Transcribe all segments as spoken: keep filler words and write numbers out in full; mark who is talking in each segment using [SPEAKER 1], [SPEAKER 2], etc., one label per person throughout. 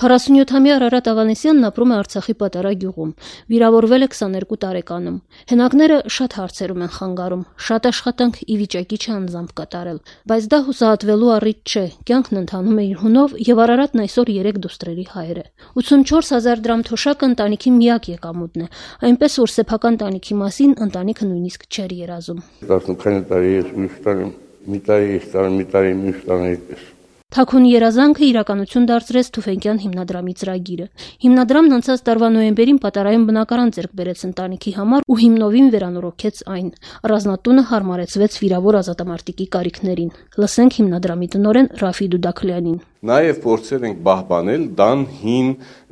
[SPEAKER 1] քառասունյոթամյա Արարատ Ավանեսյանն ապրում է Արցախի Պատառա գյուղում, վիրավորվել է քսաներկու տարեկանում։ Հենակները շատ հարցերում են խանգարում, շատ աշխատանք ի վիճակի չէ անձամբ կատարել, բայց դա հուսահատվելու առիթ չէ, կյանքն ընթանում է իր հունով եւ Արարատն այսօր երեք դուստրերի հայր է։ ութսունչորս հազար դրամ թոշակը ընտանիքի միակ եկամուտն է, այնպես որ սեփական տանիքի մասին ընտանիքը նույնիսկ չէր երազում։
[SPEAKER 2] տասնութ տարի ես միշտ տանում, մի տարի ես տանում, մի տարի միշտ տանում։
[SPEAKER 1] Թաքուն երազանքը իրականություն դարձրեց Թուֆենկյան հիմնադրամի ծրագիրը։ Հիմնադրամն անցած տարվա նոյեմբերին Պատարայում բնակարան ձեռք բերեց ընտանիքի համար ու հիմնովին վերանորոգեց այն։ Առանձնատունը հարմարեցվեց վիրավոր ազատամարտիկի կարիքներին։ Լսենք հիմնադրամի տնօրեն Ռաֆի Դուդաքլյանին։
[SPEAKER 3] Նաև փորձել ենք բահբանել դան հին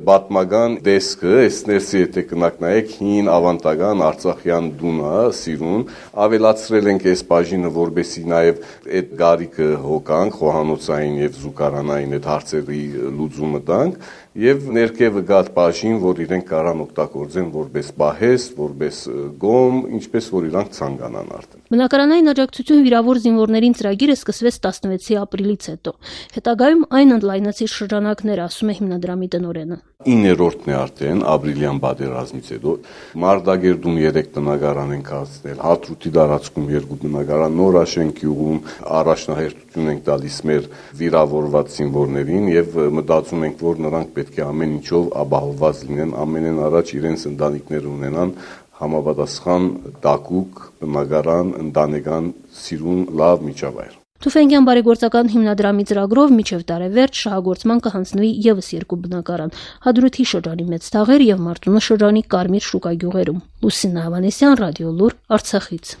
[SPEAKER 3] պատմական դեսկը, այս ներսի եթե կնակ նայեք հին ավանդական արցախյան դունա, սիրուն, ավելացրել ենք այս բաժինը, որբեսի նաև այդ գարիկը հոգանք, խոհանոցային եւ զուգարանային այդ հարցերի լուծումը տանք եւ ներքևը գատ բաժին, որ իրենք կարան օգտագործեն որպես պահես, որպես գոմ, ինչպես որ իրանք ցանկանան արդեն։
[SPEAKER 1] Բնակարանային աջակցություն վիրավոր զինվորներին ծրագիրը սկսվեց տասնվեցի ապրիլից հետո։ Հետագայում այն ընդլայնեցի շրջանակներ, ասում է հիմնադրամի տնօրենը։
[SPEAKER 3] իններորդն է արդեն ապրիլյան պատերազմից հետո Մարտագերդում երեք տնագարան ենք հասցնել, Հադրութի տարածքում երկու տնագարան, Նորաշեն գյուղում առաջնահերթություն ենք տալիս մեր վիրավորված զինվորներին եւ մտածում ենք, որ նրանք պետք է ամեն ինչով ապահովված լինեն, ամենեն առաջ իրենց ընտանիքները ունենան համապատասխան տակուկ, տնագարան, ընտանեկան սիրուն լավ միջավայր։
[SPEAKER 1] Թուֆենկյան բարեգործական հիմնադրամի ծրագրով մինչև տարեվերջ շահագործման կհանձնվի ևս երկու բնակարան՝ Հադրութի շրջանի Մեծ Թաղեր եւ Մարտունու շրջանի Կարմիր շուկա գյուղերում։ Լուսինե Ավանեսյան, Ռադիոլուր, Արցախից։